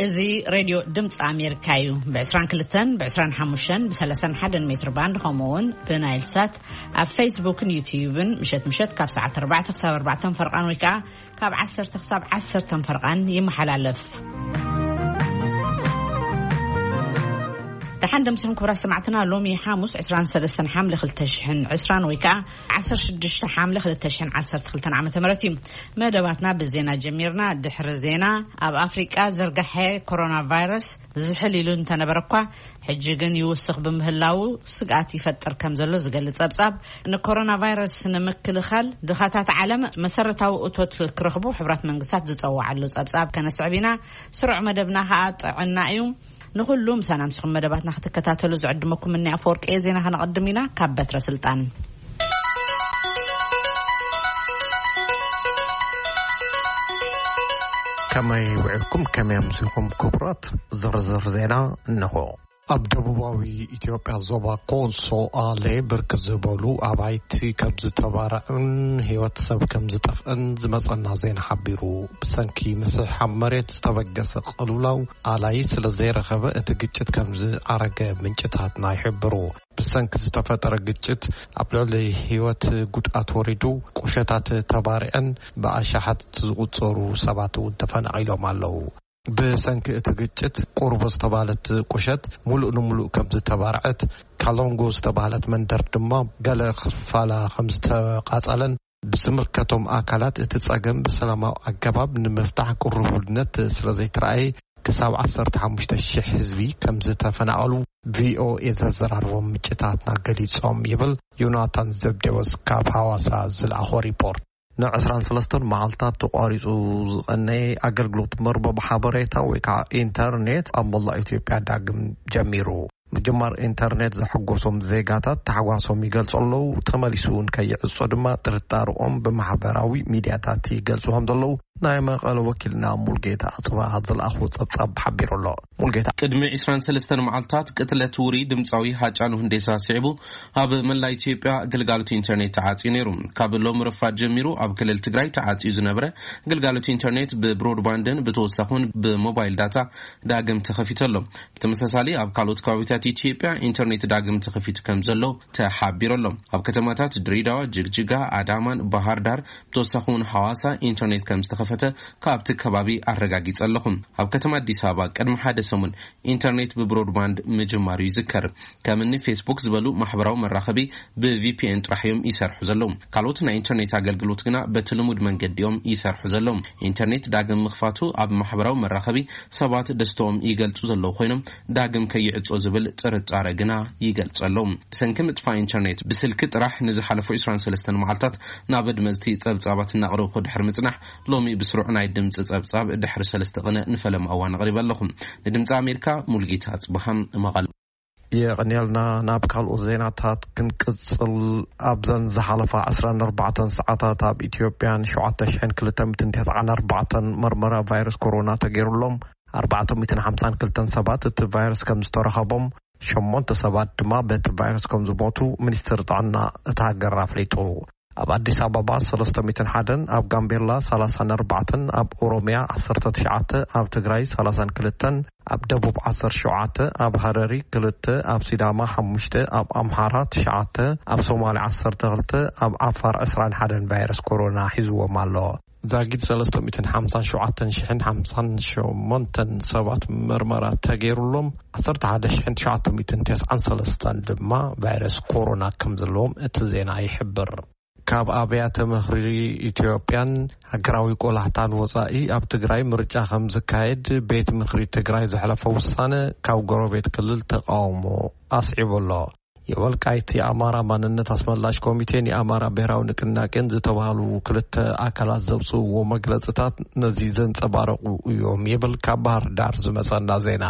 እዚ ሬድዮ ድምፂ ኣሜሪካ እዩ። ብ22፣ ብ25፣ ብ31 ሜትር ባንድ፣ ከምኡ እውን ብናይል ሳት ኣብ ፌስቡክን ዩትዩብን ምሸት ምሸት ካብ ሰዓት 4 ክሳብ 4 ፈርቓን ወይ ከዓ ካብ 10 ክሳብ 10 ፈርቓን ይመሓላለፍ። ደሓን ደምሲኹም ክቡራት ሰማዕትና። ሎሚ ሓሙስ 23 ሓምለ 2020 ወይ ከዓ 16 ሓምለ 2012 ዓመተ ምህረት እዩ። መደባትና ብዜና ጀሚርና። ድሕሪ ዜና፣ ኣብ ኣፍሪቃ ዝርጋሐ ኮሮና ቫይረስ ዝሕል ኢሉ እንተነበረ እኳ፣ ሕጂ ግን ይውስኽ ብምህላው ስግኣት ይፈጥር ከም ዘሎ ዝገልጽ ጸብጻብ፣ ንኮሮና ቫይረስ ንምክልኻል ድኻታት ዓለም መሰረታዊ እቶት ክረኽቡ ሕብራት መንግስታት ዝጸዋዓሉ ጸብጻብ ከነስዕብ ኢና። ስሩዕ መደብና ከኣ ጥዕና እዩ። ንኹሉ ምሳና ምስኹም መደባትና ክትከታተሉ ዝዕድመኩም እኒ ኣፈወርቂ ዜና ከነቐድም ኢና። ካብ በትረ ስልጣን። ከመይ ውዕልኩም? ከመይ ኣምሲኹም ክቡራት? ዝርዝር ዜና እንሆ። ኣብ ደቡባዊ ኢትዮጵያ ዞባ ኮንሶ ኣሌ ብርክት ዝበሉ ኣባይቲ ከም ዝተባረዑን ህይወት ሰብ ከም ዝጠፍአን ዝመጸና ዜና ሓቢሩ። ብሰንኪ ምስሕሓብ መሬት ዝተበገሰ ቅልውላው ኣላይ ስለ ዘይረኸበ እቲ ግጭት ከም ዝዓረገ ምንጭታትና ይሕብሩ። ብሰንኪ ዝተፈጠረ ግጭት ኣብ ልዕሊ ህይወት ጉድኣት ወሪዱ፣ ቁሸታት ተባሪዐን ብኣሻሓት ዝቑጸሩ ሰባት እውን ተፈናቒሎም ኣለዉ። ብሰንኪ እቲ ግጭት ቁርቦ ዝተባህለት ቁሸት ሙሉእ ንሙሉእ ከም ዝተባርዐት፣ ካሎንጎ ዝተባህለት መንደር ድማ ገለ ክፋላ ከም ዝተቓጸለን ብዝምልከቶም ኣካላት እቲ ጸገም ብሰላማዊ ኣገባብ ንምፍታሕ ቅርቡልነት ስለ ዘይተረኣየ ክሳብ 15,000 ህዝቢ ከም ዝተፈናቐሉ ቪኦኤ ዘዘራርቦም ምንጭታትና ገሊጾም ይብል ዮናታን ዘብዴዎስ ካብ ሃዋሳ ዝለኣኾ ሪፖርት። ን23 መዓልታት ተቋሪጹ ዝቐነየ ኣገልግሎት መርበብ ሓበሬታ ወይ ከዓ ኢንተርኔት ኣብ መላእ ኢትዮጵያ ዳግም ጀሚሩ። ምጅማር ኢንተርኔት ዘሐጎሶም ዜጋታት ታሕጓሶም ይገልጹ ኣለዉ። ተመሊሱ እውን ከይዕጾ ድማ ጥርጣርኦም ብማሕበራዊ ሚድያታት ይገልጹ ከም ዘለዉ ናይ መቐለ ወኪልና ሙልጌታ ኣጽብሃ ዝለኣኹ ጸብጻብ ሓቢሩ ኣሎ። ሙልጌታ። ቅድሚ 23 መዓልታት ቅትለት ውሩይ ድምፃዊ ሃጫሉ ሁንዴሳ ስዒቡ፣ ኣብ መላእ ኢትዮጵያ ግልጋሎት ኢንተርኔት ተዓጽዩ ነይሩ። ካብ ሎም ረፋድ ጀሚሩ ኣብ ክልል ትግራይ ተዓጽዩ ዝነበረ ግልጋሎት ኢንተርኔት ብብሮድባንድን ብተወሳኺ እውን ብሞባይል ዳታ ዳግም ተኸፊቱ ኣሎ። ብተመሳሳሊ ኣብ ካልኦት ከባቢታት ኢትዮጵያ ኢንተርኔት ዳግም ተኸፊቱ ከም ዘሎ ተሓቢሩ ኣሎ። ኣብ ከተማታት ድሬዳዋ፣ ጅግጅጋ፣ ኣዳማን ባህር ዳር ብተወሳኺ እውን ሓዋሳ ኢንተርኔት ከም ዝተኸፈተ ካብቲ ከባቢ ኣረጋጊጸ ኣለኹ። ኣብ ከተማ ኣዲስ ኣበባ ቅድሚ ሓደ ሰሙን ኢንተርኔት ብብሮድባንድ ምጅማሩ ይዝከር። ከም እኒ ፌስቡክ ዝበሉ ማሕበራዊ መራኸቢ ብቪፒኤን ጥራሕ እዮም ይሰርሑ ዘለዉ። ካልኦት ናይ ኢንተርኔት ኣገልግሎት ግና በቲ ልሙድ መንገዲ እዮም ይሰርሑ ዘለዉ። ኢንተርኔት ዳግም ምኽፋቱ ኣብ ማሕበራዊ መራኸቢ ሰባት ደስተኦም ይገልጹ ዘለዉ ኮይኖም ዳግም ከይዕጾ ዝብል ጥርጣረ ግና ይገልጹ ኣለዉ። ብሰንኪ ምጥፋእ ኢንተርኔት ብስልኪ ጥራሕ ንዝሓለፉ 23 መዓልታት ናብ ኣድመፅቲ ጸብጻባት እናቕረብኩ ድሕሪ ምጽናሕ፣ ሎሚ ብስሩዕ ናይ ድምፂ ጸብጻብ ድሕሪ ሰለስተ ቅነ ንፈለማ እዋን ኣቕሪበ ኣለኹ። ንድምፂ ኣሜሪካ ሙልጌታ ጽብሃም መቐለ። የቐንየልና። ናብ ካልኦት ዜናታት ክንቅጽል፣ ኣብዘን ዝሓለፋ 24 ሰዓታት ኣብ ኢትዮጵያን 7,294 መርመራ ቫይረስ ኮሮና ተገይሩሎም፣ 452 ሰባት እቲ ቫይረስ ከም ዝተረኸቦም፣ ሸሞንተ ሰባት ድማ በቲ ቫይረስ ከም ዝሞቱ ሚኒስትሪ ጥዕና እታ ሃገር ኣፍሊጡ። ኣብ ኣዲስ ኣበባ 301፣ ኣብ ጋምቤላ 34፣ ኣብ ኦሮሚያ 19፣ ኣብ ትግራይ 32፣ ኣብ ደቡብ 17፣ ኣብ ሃረሪ ክልተ፣ ኣብ ሲዳማ ሓሙሽተ፣ ኣብ ኣምሓራ ትሽዓተ፣ ኣብ ሶማሊ 12፣ ኣብ ዓፋር 21 ቫይረስ ኮሮና ሒዝዎም ኣሎ። ዛጊድ 355,058 ሰባት መርመራ ተገይሩሎም፣ 11,993 ድማ ቫይረስ ኮሮና ከም ዘለዎም እቲ ዜና ይሕብር። ካብ ኣብያተ ምኽሪ ኢትዮጵያን ሃገራዊ ቆላሕታን ወጻኢ ኣብ ትግራይ ምርጫ ከም ዝካየድ ቤት ምኽሪ ትግራይ ዘሕለፈ ውሳነ ካብ ጎረቤት ክልል ተቃውሞ ኣስዒቡ ኣሎ። የወልቃይት የኣማራ ማንነት ኣስመላሽ ኮሚቴን የኣማራ ብሔራዊ ንቅናቄን ዝተባህሉ ክልተ ኣካላት ዘውፅእዎ መግለፅታት ነዚ ዘንፀባረቑ እዮም ይብል ካብ ባህር ዳር ዝመፀና ዜና።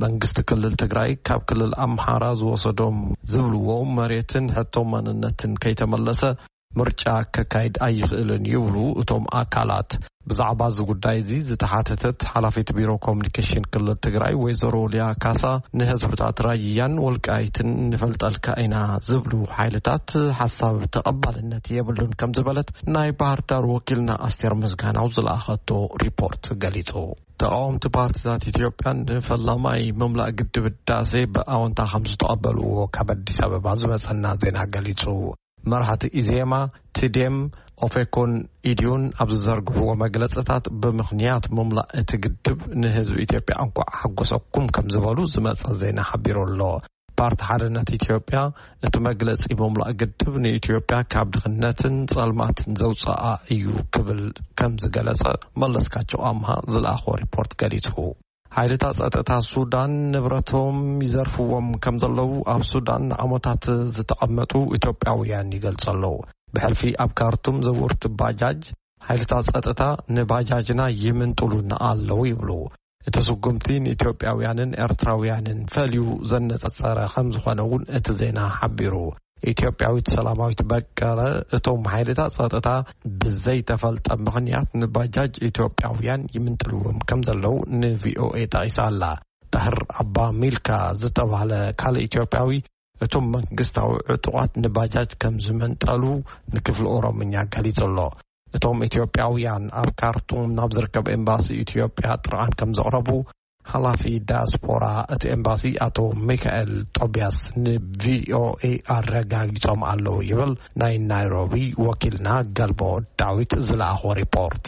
መንግስቲ ክልል ትግራይ ካብ ክልል ኣምሓራ ዝወሰዶም ዝብልዎ መሬትን ሕቶ ማንነትን ከይተመለሰ ምርጫ ከካይድ ኣይኽእልን ይብሉ እቶም ኣካላት። ብዛዕባ እዚ ጉዳይ እዚ ዝተሓተተት ሓላፊት ቢሮ ኮሚኒኬሽን ክልል ትግራይ ወይዘሮ ሊያ ካሳ፣ ንህዝብታት ራያን ወልቃይትን ንፈልጠልካ ኢና ዝብሉ ሓይልታት ሓሳብ ተቐባልነት የብሉን ከም ዝበለት ናይ ባህር ዳር ወኪልና ኣስቴር ምስጋናው ዝለኣኸቶ ሪፖርት ገሊጹ። ተቃወምቲ ፓርቲታት ኢትዮጵያ ንፈላማይ ምምላእ ግድብ ህዳሴ ብኣወንታ ከም ዝተቐበልዎ ካብ ኣዲስ ኣበባ ዝመጸና ዜና ገሊጹ። መራሕቲ ኢዜማ፣ ትዴም፣ ኦፌኮን ኢዲዩን ኣብ ዝዘርግሕዎ መግለጽታት፣ ብምኽንያት ምምላእ እቲ ግድብ ንህዝቢ ኢትዮጵያ እንኳዕ ሓጎሰኩም ከም ዝበሉ ዝመጸ ዜና ሓቢሩ ኣሎ። ፓርቲ ሓርነት ኢትዮጵያ፣ እቲ መግለጺ ምምላእ ግድብ ንኢትዮጵያ ካብ ድኽነትን ጸልማትን ዘውጽኣ እዩ ክብል ከም ዝገለጸ መለስካቸው ኣምሃ ዝለኣኾ ሪፖርት ገሊጹ። ሓይልታት ጸጥታ ሱዳን ንብረቶም ይዘርፍዎም ከም ዘለዉ ኣብ ሱዳን ንዓመታት ዝተቐመጡ ኢትዮጵያውያን ይገልጹ ኣለዉ። ብሕልፊ ኣብ ካርቱም ዘውርቲ ባጃጅ፣ ሓይልታት ጸጥታ ንባጃጅና ይምንጥሉና ኣለዉ ይብሉ። እቲ ስጉምቲ ንኢትዮጵያውያንን ኤርትራውያንን ፈልዩ ዘነጻጸረ ከም ዝኾነ እውን እቲ ዜና ሓቢሩ። ኢትዮጵያዊት ሰላማዊት በቀለ፣ እቶም ሓይልታት ጸጥታ ብዘይተፈልጠ ምኽንያት ንባጃጅ ኢትዮጵያውያን ይምንጥልዎም ከም ዘለዉ ንቪኦኤ ጠቒሳ ኣላ። ጣህር ኣባ ሚልካ ዝተባህለ ካልእ ኢትዮጵያዊ፣ እቶም መንግስታዊ ዕጡቓት ንባጃጅ ከም ዝመንጠሉ ንክፍሊ ኦሮምኛ ገሊጹ ኣሎ። እቶም ኢትዮጵያውያን ኣብ ካርቱም ናብ ዝርከብ ኤምባሲ ኢትዮጵያ ጥርዓን ከም ዘቕረቡ፣ ሓላፊ ዳያስፖራ እቲ ኤምባሲ ኣቶ ሚካኤል ጦቢያስ ንቪኦኤ ኣረጋጊጾም ኣለዉ ይብል ናይ ናይሮቢ ወኪልና ገልቦ ዳዊት ዝለኣኾ ሪፖርት።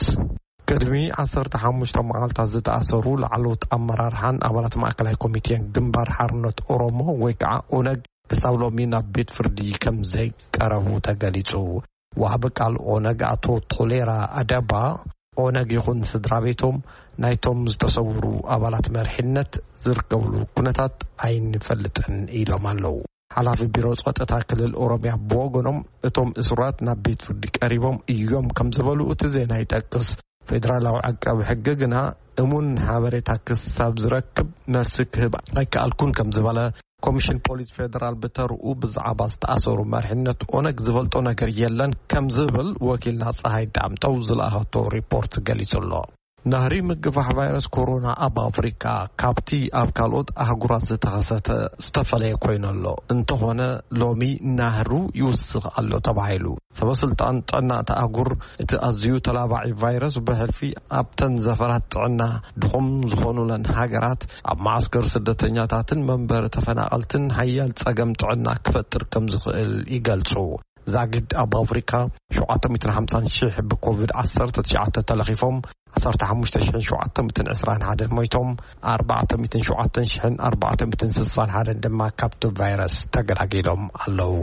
ቅድሚ ዓሰርተ ሓሙሽተ መዓልታት ዝተኣሰሩ ላዕለዎት ኣመራርሓን ኣባላት ማእከላይ ኮሚቴን ግንባር ሓርነት ኦሮሞ ወይ ከዓ ኦነግ ክሳብ ሎሚ ናብ ቤት ፍርዲ ከም ዘይቀረቡ ተገሊጹ። ወሃቢ ቃል ኦነግ ኣቶ ቶሌራ ኣደባ፣ ኦነግ ይኹን ስድራ ቤቶም ናይቶም ዝተሰውሩ ኣባላት መሪሕነት ዝርከብሉ ኩነታት ኣይንፈልጥን ኢሎም ኣለዉ። ሓላፊ ቢሮ ጸጥታ ክልል ኦሮሚያ ብወገኖም፣ እቶም እሱራት ናብ ቤት ፍርዲ ቀሪቦም እዮም ከም ዝበሉ እቲ ዜና ይጠቅስ። ፌደራላዊ ዓቃቢ ሕጊ ግና እሙን ሓበሬታ ክሳብ ዝረክብ መልሲ ክህብ ኣይከኣልኩን ከም ዝበለ፣ ኮሚሽን ፖሊስ ፌደራል ብተርኡ ብዛዕባ ዝተኣሰሩ መሪሕነት ኦነግ ዝፈልጦ ነገር የለን ከም ዝብል ወኪልና ፀሃይ ዳምጠው ዝለኣኸቶ ሪፖርት ገሊጹ ኣሎ። ናህሪ ምግፋሕ ቫይረስ ኮሮና ኣብ ኣፍሪካ ካብቲ ኣብ ካልኦት ኣህጉራት ዝተኸሰተ ዝተፈለየ ኮይኑ ኣሎ። እንተኾነ ሎሚ ናህሩ ይውስኽ ኣሎ ተባሂሉ። ሰበ ስልጣን ጥዕና እታ ኣህጉር እቲ ኣዝዩ ተላባዒ ቫይረስ ብሕልፊ ኣብተን ዘፈራት ጥዕና ድኹም ዝኾኑለን ሃገራት ኣብ መዓስከር ስደተኛታትን መንበሪ ተፈናቐልትን ሓያል ጸገም ጥዕና ክፈጥር ከም ዝኽእል ይገልጹ። ዛጊድ ኣብ ኣፍሪካ ሸውዓተ ሚእትን ሓምሳን ሽሕ ብኮቪድ ዓሰርተ ትሽዓተ ተለኺፎም፣ ዓሰርተ ሓሙሽተ ሽሕን ሸውዓተ ሚእትን ዕስራን ሓደን ሞይቶም፣ ኣርባዕተ ሚእትን ሸውዓተ ሽሕን ኣርባዕተ ሚእትን ስሳን ሓደን ድማ ካብቲ ቫይረስ ተገላጊሎም ኣለዉ።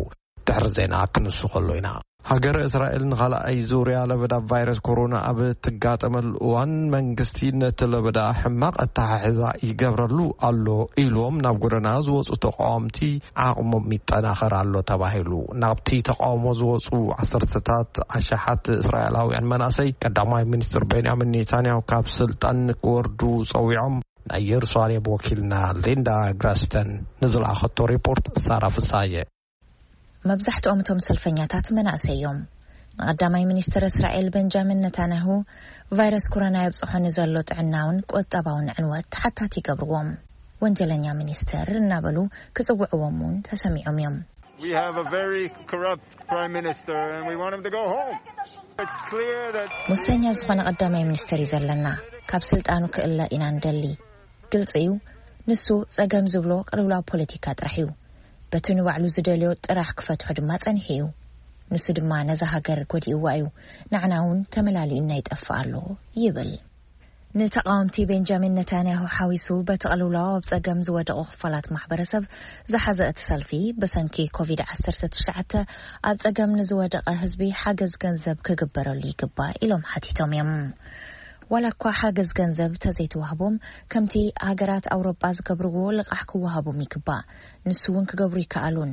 ድሕሪ ዜና ክንሱ ከሎ ኢና። ሃገረ እስራኤል ንኻልኣይ ዙርያ ለበዳ ቫይረስ ኮሮና ኣብ ትጋጠመሉ እዋን፣ መንግስቲ ነቲ ለበዳ ሕማቕ ኣተሓሕዛ ይገብረሉ ኣሎ ኢሎም ናብ ጎደና ዝወፁ ተቃወምቲ ዓቕሞም ይጠናኸር ኣሎ ተባሂሉ። ናብቲ ተቃውሞ ዝወፁ ዓሰርተታት ኣሽሓት እስራኤላውያን መናእሰይ፣ ቀዳማይ ሚኒስትር ቤንያሚን ኔታንያሁ ካብ ስልጣን ክወርዱ ጸዊዖም። ናይ ኢየሩሳሌም ወኪልና ሊንዳ ግራስተን ንዝለኣኸቶ ሪፖርት ሳራ ፍሳየ። መብዛሕትኦም እቶም ሰልፈኛታት መናእሰይ እዮም። ንቐዳማይ ሚኒስትር እስራኤል ቤንጃሚን ነታንያሁ፣ ቫይረስ ኮሮና የብጽሖ ንዘሎ ጥዕናውን ቁጠባውን ዕንወት ተሓታቲ ይገብርዎም። ወንጀለኛ ሚኒስትር እናበሉ ክጽውዕዎም እውን ተሰሚዖም እዮም። We have a very corrupt prime minister and we want him to go home. It's clear that ሙሰኛ ዝኾነ ቀዳማይ ሚኒስትር እዩ ዘለና። ካብ ስልጣኑ ክእለ ኢና ንደሊ። ግልጺ እዩ፣ ንሱ ጸገም ዝብሎ ቅልውላው ፖለቲካ ጥራሕ እዩ። በቲ ንባዕሉ ዝደልዮ ጥራሕ ክፈትሖ ድማ ጸኒሑ እዩ። ንሱ ድማ ነዛ ሃገር ጎዲእዋ እዩ። ንዓና እውን ተመላሊኡና ይጠፍእ ኣሎ ይብል። ንተቓወምቲ ቤንጃሚን ነታንያሁ ሓዊሱ በቲ ቅልውላው ኣብ ጸገም ዝወደቑ ክፋላት ማሕበረሰብ ዝሓዘ እቲ ሰልፊ፣ ብሰንኪ ኮቪድ ዓሰርተ ትሽዓተ ኣብ ጸገም ንዝወደቐ ህዝቢ ሓገዝ ገንዘብ ክግበረሉ ይግባእ ኢሎም ሓቲቶም እዮም። ዋላ እኳ ሓገዝ ገንዘብ ተዘይተዋህቦም፣ ከምቲ ሃገራት ኣውሮጳ ዝገብርዎ ልቓሕ ክወሃቦም ይግባእ። ንሱ እውን ክገብሩ ይከኣሉን።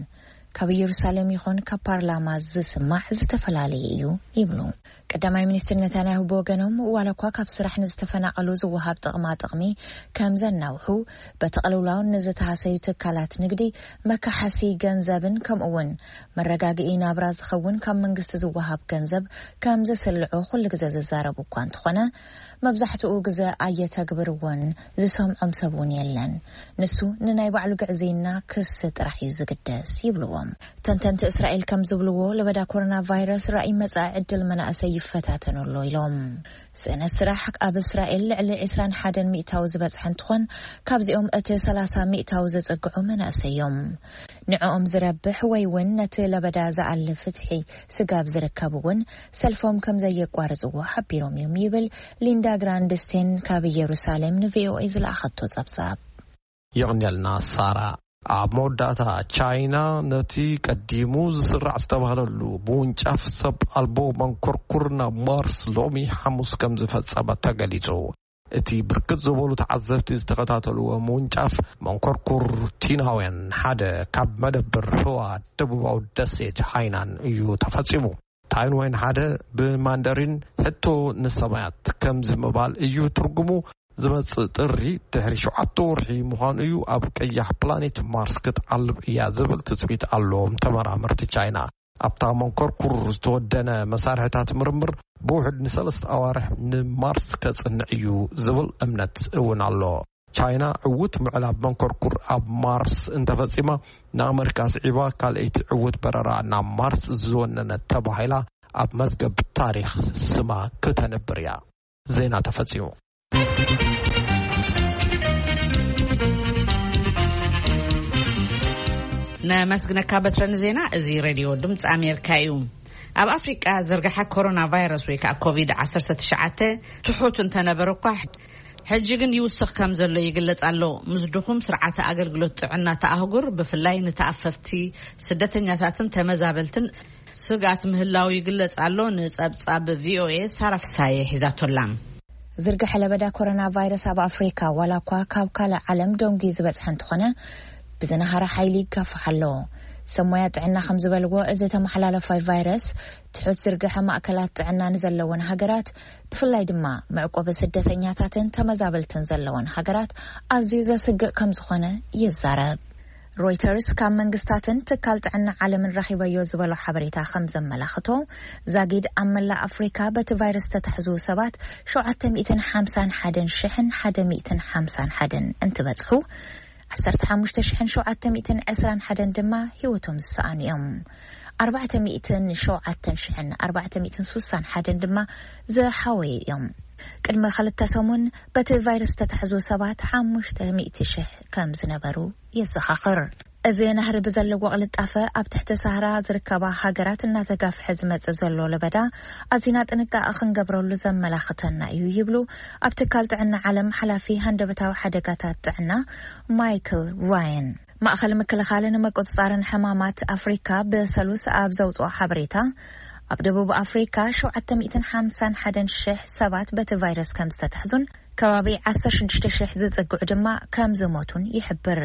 ካብ ኢየሩሳሌም ይኹን ካብ ፓርላማ ዝስማዕ ዝተፈላለየ እዩ ይብሉ። ቀዳማይ ሚኒስትር ነታንያሁ ብወገኖም፣ ዋላ እኳ ካብ ስራሕ ንዝተፈናቐሉ ዝወሃብ ጥቕማ ጥቕሚ ከም ዘናውሑ፣ በቲ ቅልውላው ንዝተሃሰዩ ትካላት ንግዲ መካሓሲ ገንዘብን ከምኡ እውን መረጋግኢ ናብራ ዝኸውን ካብ መንግስቲ ዝወሃብ ገንዘብ ከም ዘስልዑ ኩሉ ግዜ ዝዛረቡ እኳ እንተኾነ፣ መብዛሕትኡ ግዜ ኣየተግብርዎን ዝሰምዖም ሰብ እውን የለን። ንሱ ንናይ ባዕሉ ግዕዝይና ክሲ ጥራሕ እዩ ዝግደስ ይብልዎም። ተንተንቲ እስራኤል ከም ዝብልዎ፣ ለበዳ ኮሮና ቫይረስ ራእይ መጻኢ ዕድል መናእሰይ ይፈታተኑ ኣሎ ኢሎም። ስእነት ስራሕ ኣብ እስራኤል ልዕሊ ዕስራን ሓደን ሚእታዊ ዝበጽሐ እንትኾን፣ ካብዚኦም እቲ ሰላሳ ሚእታዊ ዘጸግዑ መናእሰይ እዮም። ንዕኦም ዝረብሕ ወይ እውን ነቲ ለበዳ ዝኣሊ ፍትሒ ስጋብ ዝርከብ እውን ሰልፎም ከም ዘየቋርጽዎ ሓቢሮም እዮም ይብል ሊንዳ ግራንድስቴን ካብ ኢየሩሳሌም ንቪኦኤ ዝለኣኸቶ ጸብጻብ። የቕንየልና ሳራ። ኣብ መወዳእታ፣ ቻይና ነቲ ቀዲሙ ዝስራዕ ዝተባህለሉ ምውንጫፍ ሰብ ኣልቦ መንኮርኩር ናብ ማርስ ሎሚ ሓሙስ ከም ዝፈጸመ ተገሊጹ። እቲ ብርክት ዝበሉ ተዓዘብቲ ዝተኸታተልዎ ምውንጫፍ መንኮርኩር ቲናውያን ሓደ ካብ መደብር ህዋ ደቡባዊ ደሴት ሃይናን እዩ ተፈጺሙ። ታይንዋይን ሓደ ብማንደሪን ሕቶ ንሰማያት ከምዚ ምባል እዩ ትርጉሙ። ዝመጽእ ጥሪ ድሕሪ ሸውዓተ ወርሒ ምዃኑ እዩ ኣብ ቀያሕ ፕላኔት ማርስ ክትዓልብ እያ ዝብል ትጽቢት ኣለዎም ተመራመርቲ ቻይና። ኣብታ መንኮርኩር ዝተወደነ መሳርሕታት ምርምር ብውሕድ ንሰለስተ ኣዋርሕ ንማርስ ከጽንዕ እዩ ዝብል እምነት እውን ኣሎ። ቻይና ዕዉት ምዕላብ መንኮርኩር ኣብ ማርስ እንተፈጺማ፣ ንኣመሪካ ስዒባ ካልኣይቲ ዕዉት በረራ ናብ ማርስ ዝወነነት ተባሂላ ኣብ መዝገብ ታሪኽ ስማ ክተንብር እያ። ዜና ተፈጺሙ። ነመስግነካ በትረ ንዜና። እዚ ሬድዮ ድምፂ ኣሜሪካ እዩ። ኣብ ኣፍሪቃ ዝርግሐ ኮሮና ቫይረስ ወይ ከዓ ኮቪድ ዓሰርተ ትሽዓተ ትሑት እንተነበረ እኳ፣ ሕጂ ግን ይውስኽ ከም ዘሎ ይግለጽ ኣሎ። ምስ ድኹም ስርዓተ ኣገልግሎት ጥዕና እታ ኣህጉር፣ ብፍላይ ንተኣፈፍቲ ስደተኛታትን ተመዛበልትን ስግኣት ምህላው ይግለጽ ኣሎ። ንጸብጻብ ቪኦኤ ሳራ ፍሳየ ሒዛቶላ። ዝርግሐ ለበዳ ኮሮና ቫይረስ ኣብ ኣፍሪካ ዋላ እኳ ካብ ካልእ ዓለም ደንጉዩ ዝበጽሐ እንተኾነ፣ ብዝነሃረ ሓይሊ ይጋፋሕ ኣሎ። ሰብ ሞያ ጥዕና ከም ዝበልዎ፣ እዚ ተመሓላለፋይ ቫይረስ ትሑት ዝርግሐ ማእከላት ጥዕና ንዘለወን ሃገራት፣ ብፍላይ ድማ መዕቆቢ ስደተኛታትን ተመዛበልትን ዘለወን ሃገራት ኣዝዩ ዘስግእ ከም ዝኾነ ይዛረብ። ሮይተርስ ካብ መንግስታትን ትካል ጥዕና ዓለምን ረኺበዮ ዝበሎ ሓበሬታ ከም ዘመላኽቶ፣ ዛጊድ ኣብ መላእ ኣፍሪካ በቲ ቫይረስ ዝተታሕዙ ሰባት ሸውዓተ ሚእትን ሓምሳን ሓደን ሽሕን ሓደ ሚእትን ሓምሳን ሓደን እንትበጽሑ፣ ዓሰርተ ሓሙሽተ ሽሕን ሸውዓተ ሚእትን ዕስራን ሓደን ድማ ህይወቶም ዝሰኣኑ እዮም። ኣርባዕተ ሚእትን ሸውዓተን ሽሕን ኣርባዕተ ሚእትን ሱሳን ሓደን ድማ ዝሓወዩ እዮም። ቅድሚ ክልተ ሰሙን በቲ ቫይረስ ዝተታሕዙ ሰባት ሓሙሽተ ሚእቲ ሽሕ ከም ዝነበሩ የዘኻኽር። እዚ ናህሪ ብዘለዎ ቅልጣፈ ኣብ ትሕቲ ሳህራ ዝርከባ ሃገራት እናተጋፍሐ ዝመጽእ ዘሎ ለበዳ ኣዚና ጥንቃቐ ክንገብረሉ ዘመላኽተና እዩ ይብሉ ኣብ ትካል ጥዕና ዓለም ሓላፊ ሃንደበታዊ ሓደጋታት ጥዕና ማይክል ራያን። ማእኸል ምክልኻልን ምቁጽጻርን ሕማማት ኣፍሪካ ብሰሉስ ኣብ ዘውፅኦ ሓበሬታ፣ ኣብ ደቡብ ኣፍሪካ ሸውዓተ ሚእትን ሓምሳን ሓደን ሽሕ ሰባት በቲ ቫይረስ ከም ዝተታሕዙን ከባቢ ዓሰርተ ሽዱሽተ ሽሕ ዝጽግዑ ድማ ከም ዝሞቱን ይሕብር።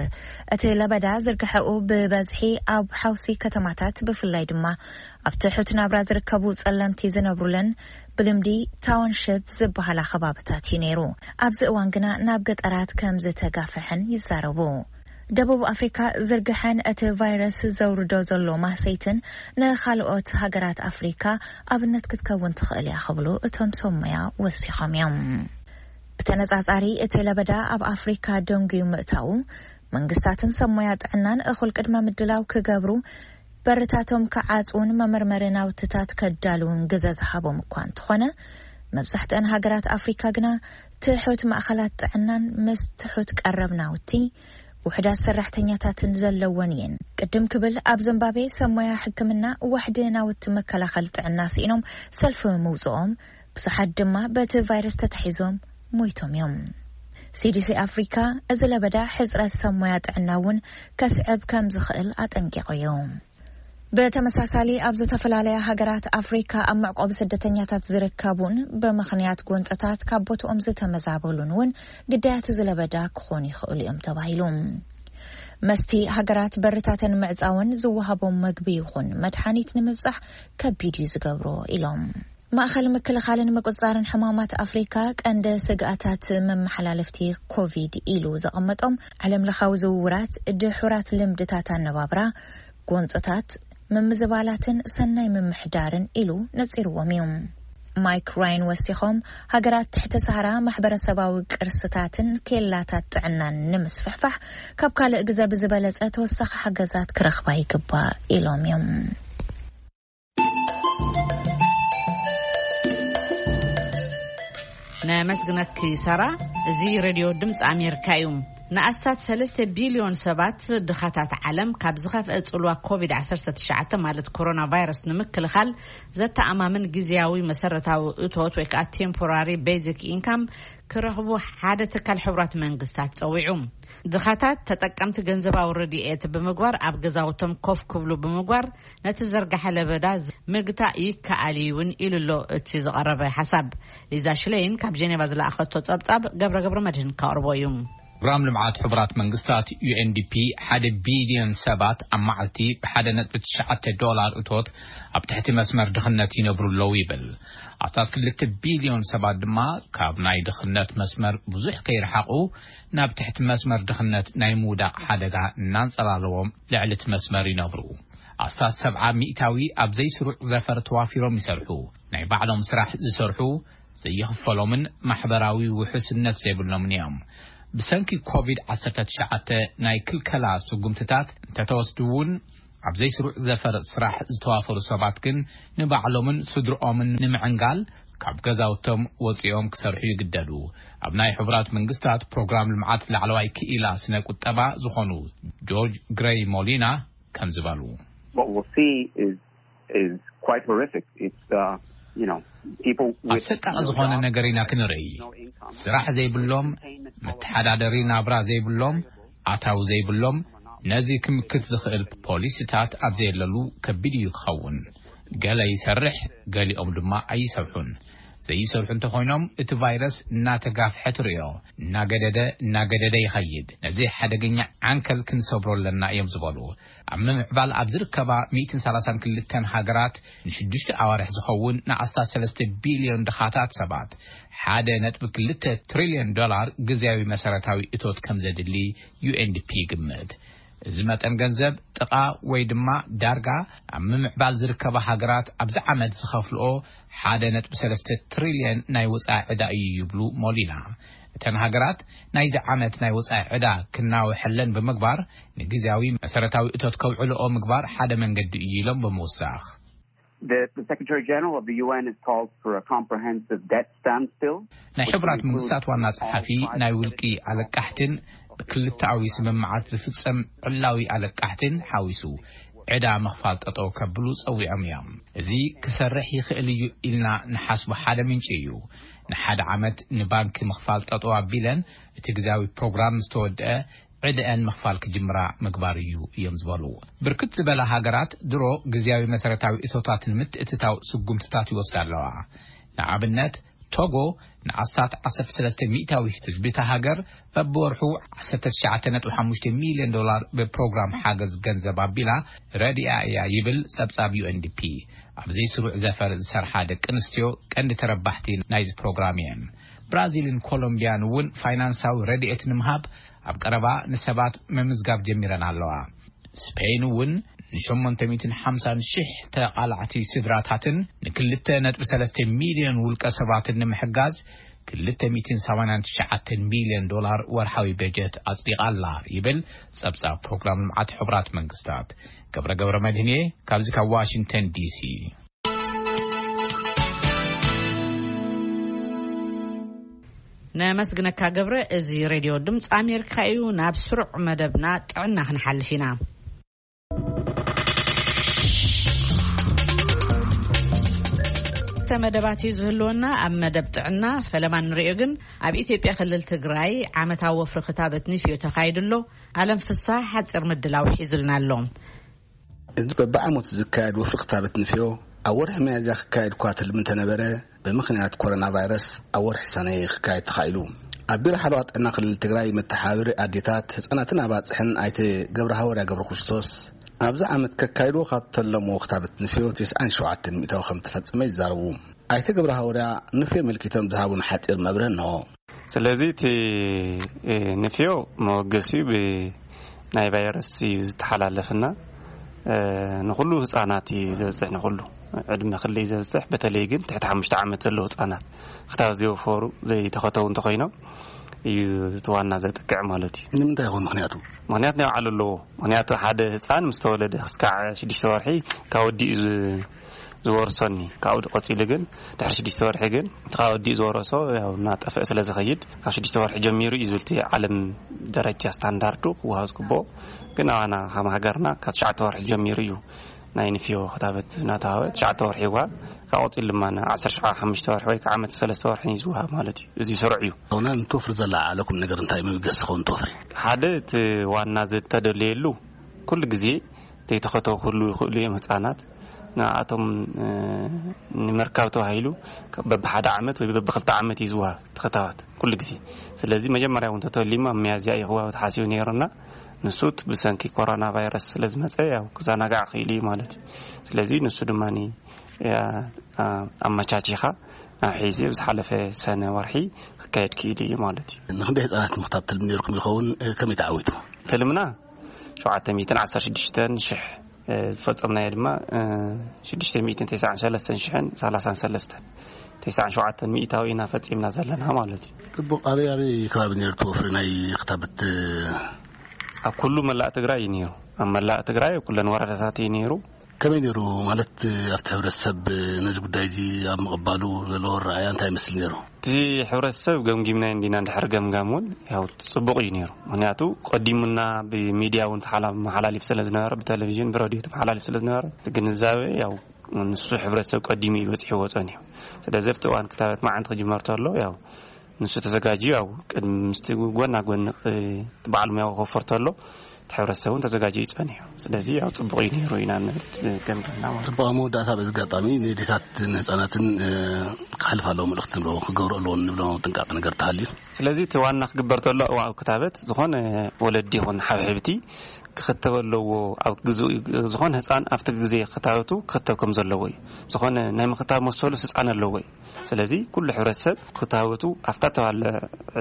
እቲ ለበዳ ዝርግሐኡ ብበዝሒ ኣብ ሓውሲ ከተማታት፣ ብፍላይ ድማ ኣብ ትሑት ናብራ ዝርከቡ ጸለምቲ ዝነብሩለን ብልምዲ ታውንሽፕ ዝበሃላ ከባብታት እዩ ነይሩ። ኣብዚ እዋን ግና ናብ ገጠራት ከም ዝተጋፍሐን ይዛረቡ። ደቡብ ኣፍሪካ ዝርግሐን እቲ ቫይረስ ዘውርዶ ዘሎ ማህሰይትን ንኻልኦት ሃገራት ኣፍሪካ ኣብነት ክትከውን ትኽእል እያ ክብሉ እቶም ሰብ ሞያ ወሲኾም እዮም። ብተነጻጻሪ እቲ ለበዳ ኣብ ኣፍሪካ ደንጉዩ ምእታዉ፣ መንግስታትን ሰብ ሞያ ጥዕናን እኹል ቅድመ ምድላው ክገብሩ፣ በርታቶም ክዓጽውን መመርመሪ ናውትታት ከዳልውን ግዘ ዝሃቦም እኳ እንተኾነ፣ መብዛሕትአን ሃገራት ኣፍሪካ ግና ትሑት ማእኸላት ጥዕናን ምስ ትሑት ቀረብ ናውቲ ውሕዳት ሰራሕተኛታትን ዘለወን እየን። ቅድም ክብል ኣብ ዚምባብዌ ሰብ ሞያ ሕክምና ዋሕዲ ናውቲ መከላኸሊ ጥዕና ስኢኖም ሰልፊ ምውፅኦም፣ ብዙሓት ድማ በቲ ቫይረስ ተታሒዞም ሞይቶም እዮም። ሲዲሲ ኣፍሪካ፣ እዚ ለበዳ ሕፅረት ሰብ ሞያ ጥዕና እውን ከስዕብ ከም ዝኽእል ኣጠንቂቑ እዩ። ብተመሳሳሊ፣ ኣብ ዝተፈላለያ ሃገራት ኣፍሪካ ኣብ መዕቆቢ ስደተኛታት ዝርከቡን ብምኽንያት ጎንፅታት ካብ ቦትኦም ዝተመዛበሉን እውን ግዳያት እዚ ለበዳ ክኾኑ ይኽእሉ እዮም ተባሂሉ። መስቲ ሃገራት በርታተን ምዕፃውን ዝወሃቦም መግቢ ይኹን መድሓኒት ንምብፃሕ ከቢድ እዩ ዝገብሮ ኢሎም። ማእኸል ምክልኻልን ምቁፅፃርን ሕማማት ኣፍሪካ ቀንደ ስግኣታት መመሓላለፍቲ ኮቪድ ኢሉ ዘቐመጦም ዓለም ለኻዊ ዝውውራት፣ ድሑራት ልምድታት ኣነባብራ፣ ጎንፅታት፣ ምምዝባላትን ሰናይ ምምሕዳርን ኢሉ ነፂርዎም እዩ። ማይክ ራይን ወሲኾም፣ ሃገራት ትሕቲ ሰሃራ ማሕበረሰባዊ ቅርስታትን ኬላታት ጥዕናን ንምስፍሕፋሕ ካብ ካልእ ግዘ ብዝበለፀ ተወሳኺ ሓገዛት ክረኽባ ይግባእ ኢሎም እዮም። ነመስግነኪ ሳራ። እዚ ሬድዮ ድምፂ ኣሜሪካ እዩ። ንኣስታት ሰለስተ ቢልዮን ሰባት ድኻታት ዓለም ካብ ዝኸፍአ ጽልዋ ኮቪድ ዓሰርተ ትሽዓተ ማለት ኮሮና ቫይረስ ንምክልኻል ዘተኣማምን ግዝያዊ መሰረታዊ እቶት ወይ ከዓ ቴምፖራሪ ቤዚክ ኢንካም ክረኽቡ ሓደ ትካል ሕቡራት መንግስታት ጸዊዑ። ድኻታት ተጠቀምቲ ገንዘባዊ ረድኤት ብምግባር ኣብ ገዛውቶም ኮፍ ክብሉ ብምግባር ነቲ ዝርጋሐ ለበዳ ምግታእ ይከኣል እዩ እውን ኢሉ ኣሎ እቲ ዝቐረበ ሓሳብ። ሊዛ ሽለይን ካብ ጀኔቫ ዝለኣኸቶ ጸብጻብ ገብረ ገብረ መድህን ከቕርቦ እዩ። ፕሮግራም ልምዓት ሕቡራት መንግስታት ዩ ኤን ዲ ፒ ሓደ ቢልዮን ሰባት ኣብ መዓልቲ ብሓደ ነጥቢ ትሽዓተ ዶላር እቶት ኣብ ትሕቲ መስመር ድኽነት ይነብሩ ኣለዉ ይብል። ኣስታት ክልተ ቢልዮን ሰባት ድማ ካብ ናይ ድኽነት መስመር ብዙሕ ከይረሓቑ ናብ ትሕቲ መስመር ድኽነት ናይ ምውዳቕ ሓደጋ እናንጸላለዎም ልዕሊ እቲ መስመር ይነብሩ። ኣስታት ሰብዓ ሚእታዊ ኣብ ዘይስሩዕ ዘፈር ተዋፊሮም ይሰርሑ። ናይ ባዕሎም ስራሕ ዝሰርሑ፣ ዘይኽፈሎምን ማሕበራዊ ውሕስነት ዘይብሎምን እዮም። ብሰንኪ ኮቪድ ዓሰርተ ትሽዓተ ናይ ክልከላ ስጉምትታት እንተተወስዱ እውን፣ ኣብ ዘይስሩዕ ዘፈር ስራሕ ዝተዋፈሩ ሰባት ግን ንባዕሎምን ስድርኦምን ንምዕንጋል ካብ ገዛውቶም ወፂኦም ክሰርሑ ይግደዱ። ኣብ ናይ ሕቡራት መንግስታት ፕሮግራም ልምዓት ላዕለዋይ ክኢላ ስነ ቁጠባ ዝኾኑ ጆርጅ ግሬይ ሞሊና ከም ዝበሉ፣ What we'll see is is quite horrific. It's uh, you know, people with ኣሰቃቂ ዝኾነ ነገር ኢና ክንርኢ። ስራሕ ዘይብሎም፣ መተሓዳደሪ ናብራ ዘይብሎም፣ ኣታዊ ዘይብሎም፣ ነዚ ክምክት ዝኽእል ፖሊሲታት ኣብ ዘየለሉ ከቢድ እዩ ክኸውን። ገለ ይሰርሕ፣ ገሊኦም ድማ ኣይሰርሑን። ዘይሰርሑ እንተኾይኖም እቲ ቫይረስ እናተጋፍሐ ትርእዮ፣ እናገደደ እናገደደ ይኸይድ። ነዚ ሓደገኛ ዓንከል ክንሰብሮ ኣለና እዮም ዝበሉ። ኣብ ምምዕባል ኣብ ዝርከባ ሚእትን ሰላሳን ክልተን ሃገራት ንሽዱሽተ ኣዋርሕ ዝኸውን ንኣስታት ሰለስተ ቢልዮን ድኻታት ሰባት ሓደ ነጥቢ ክልተ ትሪልዮን ዶላር ግዝያዊ መሰረታዊ እቶት ከም ዘድሊ ዩ ኤን ዲ ፒ ይግምት። እዚ መጠን ገንዘብ ጥቓ ወይ ድማ ዳርጋ ኣብ ምምዕባል ዝርከባ ሃገራት ኣብዚ ዓመት ዝኸፍልኦ ሓደ ነጥቢ ሰለስተ ትሪልዮን ናይ ወጻኢ ዕዳ እዩ ይብሉ ሞሊና። እተን ሃገራት ናይዚ ዓመት ናይ ወጻኢ ዕዳ ክናውሐለን ብምግባር ንግዝያዊ መሰረታዊ እቶት ከውዕልኦ ምግባር ሓደ መንገዲ እዩ ኢሎም ብምውሳኽ። The, the Secretary General of the U N has called for a comprehensive debt standstill. ናይ ሕቡራት መንግስታት ዋና ጸሓፊ ናይ ውልቂ ኣለቃሕትን ብክልተኣዊ ስምምዓት ዝፍጸም ዕላዊ ኣለቃሕትን ሓዊሱ ዕዳ ምኽፋል ጠጠው ከብሉ ጸዊዖም እዮም። እዚ ክሰርሕ ይኽእል እዩ ኢልና ንሓስቦ ሓደ ምንጪ እዩ። ንሓደ ዓመት ንባንኪ ምኽፋል ጠጠው ኣቢለን እቲ ግዝያዊ ፕሮግራም ዝተወደአ ዕድአን ምኽፋል ክጅምራ ምግባር እዩ እዮም ዝበሉ። ብርክት ዝበላ ሃገራት ድሮ ግዝያዊ መሰረታዊ እቶታት ንምትእትታው ስጉምትታት ይወስዳ ኣለዋ። ንኣብነት ቶጎ ንኣስታት ዓሰርተ ሰለስተ ሚእታዊ ህዝቢ እታ ሃገር በብወርሑ ዓሰርተ ትሽዓተ ነጥቢ ሓሙሽተ ሚልዮን ዶላር ብፕሮግራም ሓገዝ ገንዘብ ኣቢላ ረዲኣ እያ ይብል ጸብጻብ ዩ ኤን ዲ ፒ። ኣብ ዘይስሩዕ ዘፈር ዝሰርሓ ደቂ ኣንስትዮ ቀንዲ ተረባሕቲ ናይዚ ፕሮግራም እየን። ብራዚልን ኮሎምቢያን እውን ፋይናንሳዊ ረድኤት ንምሃብ ኣብ ቀረባ ንሰባት ምምዝጋብ ጀሚረን ኣለዋ። ስፔን እውን ንሸሞንተ ሚእትን ሓምሳን ሽሕ ተቓላዕቲ ስድራታትን ንክልተ ነጥቢ ሰለስተ ሚልዮን ውልቀ ሰባትን ንምሕጋዝ ክልተ ሚእትን ሰማንያን ትሽዓተን ሚልዮን ዶላር ወርሓዊ በጀት ኣጽዲቓ ኣላ ይብል ጸብጻብ ፕሮግራም ልምዓት ሕቡራት መንግስታት። ገብረ ገብረ መድህን እየ፣ ካብዚ ካብ ዋሽንግተን ዲ ሲ። ነመስግነካ ገብረ። እዚ ሬድዮ ድምፂ ኣሜሪካ እዩ። ናብ ስሩዕ መደብና ጥዕና ክንሓልፍ ኢና። ክልተ መደባት እዩ ዝህልወና። ኣብ መደብ ጥዕና ፈለማ ንሪኦ፣ ግን ኣብ ኢትዮጵያ ክልል ትግራይ ዓመታዊ ወፍሪ ክታበት ንፍዮ ተኻይዱ ኣሎ። ኣለም ፍስሓ ሓፂር ምድላው ሒዙልና ኣሎ። እዚ በብዓመቱ ዝካየድ ወፍሪ ክታበት ንፍዮ ኣብ ወርሒ ሚያዝያ ክካየድ እኳ ትልሚ እንተነበረ፣ ብምኽንያት ኮሮና ቫይረስ ኣብ ወርሒ ሰነ ክካየድ ተኻኢሉ። ኣብ ቢሮ ሓለዋ ጥዕና ክልል ትግራይ መተሓባበሪ ኣዴታት፣ ህፃናትን ኣባፅሕን ኣይተ ገብረ ሃወርያ ገብረ ክርስቶስ፣ ኣብዚ ዓመት ከካይድዎ ካብ ተለምዎ ክታበት ንፍዮ ተስዓን ሸውዓተን ሚእታዊ ከም ተፈጸመ ይዛረቡ። ኣይተ ገብረ ሃወርያ ንፍዮ ኣመልኪቶም ዝሃቡን ሓጺር መብርህ እንሆ። ስለዚ እቲ ንፍዮ መወገሲኡ ብናይ ቫይረስ እዩ ዝተሓላለፍና። ንኩሉ ህፃናት እዩ ዘብፅሕ፣ ንኩሉ ዕድመ ክልል እዩ ዘብፅሕ። በተለይ ግን ትሕቲ ሓሙሽተ ዓመት ዘለዉ ህፃናት ክታብ ዘይወፈሩ ዘይተኸተቡ እንተኮይኖም እዩ እቲ ዋና ዘጥቅዕ ማለት እዩ። ንምንታይ ይኾን ምኽንያቱ? ምኽንያት ናይ ባዕሉ ኣለዎ። ምኽንያቱ ሓደ ህፃን ምስ ተወለደ ክስካዕ ሽዱሽተ ወርሒ ካብ ወዲኡ ዝ- ዝወርሶኒ ካብኡ ቀፂሉ ግን ድሕሪ ሽዱሽተ ወርሒ ግን እቲ ካብ ወዲኡ ዝወረሶ ያው እናጠፍአ ስለ ዝኸይድ ካብ ሽዱሽተ ወርሒ ጀሚሩ እዩ ዝብል እቲ ዓለም ደረጃ ስታንዳርዱ ክወሃብ ዝግብኦ። ግን ኣባና ከም ሃገርና ካብ ትሽዓተ ወርሒ ጀሚሩ እዩ ናይ ንፍዮ ክታበት እናተዋህበ ትሽዓተ ወርሒ ይወሃብ። ካብ ቀፂሉ ድማ ን ዓሰርተ ሓሙሽተ ወርሒ ወይ ከዓ ዓመት ሰለስተ ወርሒ እዩ ዝወሃብ ማለት እዩ። እዚ ስሩዕ እዩ። ኣሁና ንትወፍር ዘላ ዓለኩም ነገር እንታይ መበገሲ ክኸውን ትወፍሪ? ሓደ እቲ ዋና ዝተደለየሉ ኩሉ ግዜ ዘይተኸተቡ ክህሉ ይኽእሉ እዮም ህፃናት። ንኣቶም ንምርካብ ተባሂሉ በብሓደ ዓመት ወይ በብክልተ ዓመት እዩ ዝወሃብ ተኸታባት ኩሉ ግዜ። ስለዚ መጀመርያ እውን ተተሊሙ ኣብ ሚያዝያ እዩ ክወሃብ ተሓሲቡ ነይሩና። ንሱ እቲ ብሰንኪ ኮሮና ቫይረስ ስለ ዝመፀ ያው ክዘናጋዕ ክኢሉ እዩ ማለት እዩ። ስለዚ ንሱ ድማ ኣመቻቺኻ ናብ ሒዚ ኣብ ዝሓለፈ ሰነ ወርሒ ክካየድ ክኢሉ እዩ ማለት እዩ። ንክንደይ ህፃናት ምክታብ ትልሚ ነርኩም ይኸውን? ከመይ ተዓዊቱ? ትልምና ሸውዓተ ሚእትን ዓሰርተ ሽዱሽተን ሽሕ ዝፈጸምናዮ ድማ ሽዱሽተ ሚእትን ተስዓን ሰለስተን ሽሕን ሰላሳን ሰለስተን ተስዓን ሸውዓተን ሚእታዊ ኢና ፈጺምና ዘለና ማለት እዩ። ጽቡቕ። ኣበይ ኣበይ ከባቢ ነይሩ እቲ ወፍሪ ናይ ክታበት? ኣብ ኩሉ መላእ ትግራይ እዩ ነይሩ። ኣብ መላእ ትግራይ ኣብ ኩለን ወረዳታት እዩ ነይሩ። ከመይ ነይሩ ማለት ኣብቲ ሕብረተሰብ ነዚ ጉዳይ እዚ ኣብ ምቕባሉ ዘለዎ ኣረኣእያ እንታይ ይመስል ነይሩ? እቲ ሕብረተሰብ ገምጊምናዮ እንዲና እንድሕር ገምጋም እውን ያው ጽቡቕ እዩ ነይሩ። ምክንያቱ ቀዲሙና ብሚድያ እውን ተሓላ- መሓላሊፍ ስለ ዝነበረ፣ ብቴሌቪዥን ብሬድዮ ተመሓላሊፍ ስለ ዝነበረ እቲ ግንዛቤ ያው ንሱ ሕብረተሰብ ቀዲሙ እዩ በፂሕዎ ጸኒሑ። ስለዚ ኣብቲ እዋን ክታበት መዓንቲ ክጅመር ተሎ ያው ንሱ ተዘጋጅዩ ያው ቅድሚ ምስቲ ጎና ጎኒ ቅ- በዓል ሙያዊ ክወፈር ተሎ እቲ ሕብረተሰብ እውን ተዘጋጅዩ ይጸኒሑ። ስለዚ ያው ጽቡቕ እዩ ነይሩ ኢና ንብል ገምገምና ማለት እዩ። ጽቡቕ። ኣብ መወዳእታ በዚ ኣጋጣሚ ንዴታት ንህፃናትን ክሓልፍ ኣለዎ መልእኽቲ ንብሎ ክገብሩ ኣለዎ ንብሎ ጥንቃቄ ነገር ተሃልዩ? ስለዚ እቲ ዋና ክግበር ተሎ ኣብ ክታበት ዝኾነ ወለዲ ይኹን ሓብሕብቲ ክኽተብ ኣለዎ። ኣብ ግዜ ዝኾነ ህፃን ኣብቲ ግዜ ክታበቱ ክኽተብ ከም ዘለዎ እዩ። ዝኾነ ናይ ምኽታብ መሰሉ ህፃን ኣለዎ እዩ። ስለዚ ኩሉ ሕብረተሰብ ክታበቱ ኣብታ ተባለ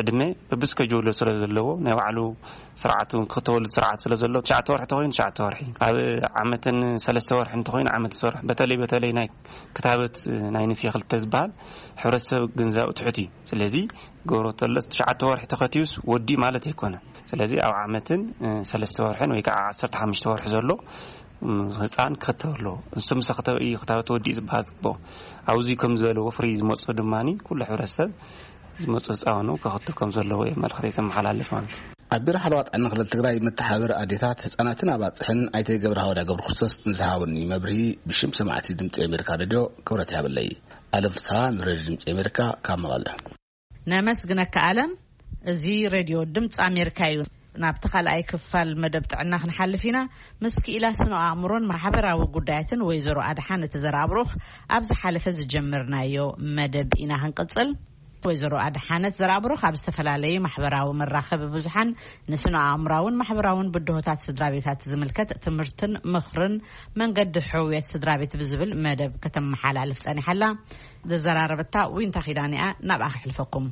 ዕድመ በብስከጅሎ ስለ ዘለዎ ናይ ባዕሉ ስርዓት እውን ክኽተበሉ ስርዓት ስለ ዘሎ ትሽዓተ ወርሒ ተኮይኑ ትሽዓተ ወርሒ ኣብ ዓመትን ሰለስተ ወርሒ እንተኮይኑ ዓመት ወርሒ በተለይ በተለይ ናይ ክታበት ናይ ንፍየ ክልተ ዝበሃል ሕብረተሰብ ግንዛኡ ትሑት እዩ። ስለዚ ገብሮ ተለስ ትሽዓተ ወርሒ ተኸትዩስ ወዲ ማለት ኣይኮነ። ስለዚ ኣብ ዓመትን ሰለስተ ወርሕን ወይ ከዓ ዓሰርተ ሓሙሽተ ወርሒ ዘሎ ህፃን ክኽተብ ኣለዎ። ንሱ ምስ ኣኽተበ እዩ ክታበት ወዲእ ዝበሃል ዝግብኦ። ኣብዚ ከም ዝበለ ወፍሪ ዝመፁ ድማ ኩሉ ሕብረተሰብ ዝመፁ ህፃኑ ክኽትብ ከም ዘለዎ እዩ መልእኽተይ ዘመሓላልፍ ማለት እዩ። ኣብ ቢሮ ሓለዋ ጥዕና ክልል ትግራይ መተሓባበሪ ኣዴታት ህፃናትን ኣባፅሕን ኣይተ ገብረሃወዳ ገብረክርስቶስ ንዝሃቡኒ መብርሂ ብሽም ሰማዕቲ ድምፂ ኣሜሪካ ሬድዮ ክብረት ይሃበለይ። ኣለም ፍስሃ ንሬድዮ ድምፂ ኣሜሪካ ካብ መቐለ። ነመስግነካ ኣለም። እዚ ሬድዮ ድምፂ ኣሜሪካ እዩ። ናብቲ ካልኣይ ክፋል መደብ ጥዕና ክንሓልፍ ኢና። ምስ ክኢላ ስነ ኣእምሮን ማሕበራዊ ጉዳያትን ወይዘሮ ኣድሓነት ዘርኣብሩኽ ኣብ ዝሓለፈ ዝጀመርናዮ መደብ ኢና ክንቅፅል። ወይዘሮ ኣድሓነት ዘርኣብሩኽ ኣብ ዝተፈላለዩ ማሕበራዊ መራኸቢ ብዙሓን ንስነ ኣእምራውን ማሕበራውን ብድሆታት ስድራ ቤታት ዝምልከት ትምህርትን ምኽርን መንገዲ ሕውየት ስድራ ቤት ብዝብል መደብ ከተመሓላልፍ ጸኒሓላ። ዘዘራረበታ ዊንታ ኪዳን እያ። ናብኣ ክሕልፈኩም።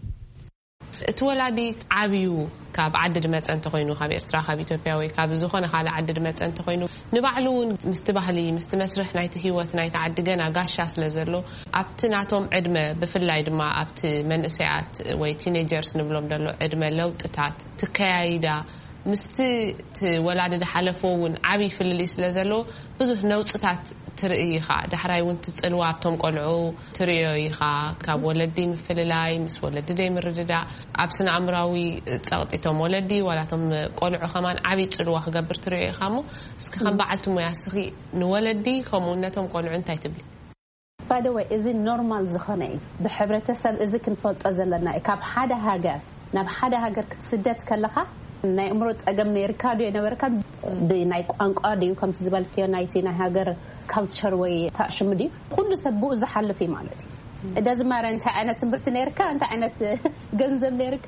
እቲ ወላዲ ዓብዩ ካብ ዓዲ ድመፀ እንተኮይኑ፣ ካብ ኤርትራ፣ ካብ ኢትዮጵያ ወይ ካብ ዝኾነ ካልእ ዓዲ ድመፀ እንተኮይኑ፣ ንባዕሉ እውን ምስቲ ባህሊ፣ ምስቲ መስርሕ ናይቲ ህይወት ናይቲ ዓዲ ገና ጋሻ ስለ ዘሎ፣ ኣብቲ ናቶም ዕድመ፣ ብፍላይ ድማ ኣብቲ መንእሰያት ወይ ቲኔጀርስ ንብሎም ዘሎ ዕድመ ለውጥታት ትከያይዳ ምስቲ እቲ ወላዲ ዝሓለፎ እውን ዓብዪ ፍልልይ ስለ ዘለዎ ብዙሕ ነውፅታት ትርኢ ኢኻ። ዳሕራይ እውን ትፅልዋ ኣብቶም ቆልዑ ትርእዮ ኢኻ። ካብ ወለዲ ምፍልላይ፣ ምስ ወለዲ ዘይምርድዳእ፣ ኣብ ስነ ኣእምራዊ ፀቕጢ እቶም ወለዲ ዋላ እቶም ቆልዑ ከማን ዓብዪ ፅልዋ ክገብር ትርእዮ ኢኻ። እሞ እስኪ ከም በዓልቲ ሞያ እስኺ ንወለዲ ከምኡ ነቶም ቆልዑ እንታይ ትብሊ? ባይ ዘ ወይ እዚ ኖርማል ዝኾነ እዩ። ብሕብረተሰብ እዚ ክንፈልጦ ዘለና እዩ። ካብ ሓደ ሃገር ናብ ሓደ ሃገር ክትስደድ ከለኻ ናይ እምሮ ጸገም ነይርካ ድዩ ኣይነበርካን፣ ብናይ ቋንቋ ድዩ ከምቲ ዝበልክዮ ናይቲ ናይ ሃገር ካልቸር ወይ ታሽሙ ድዩ፣ ኩሉ ሰብ ብኡ ዝሓልፍ እዩ ማለት እዩ። እደዚ ማረ እንታይ ዓይነት ትምህርቲ ነይርካ፣ እንታይ ዓይነት ገንዘብ ነይርካ፣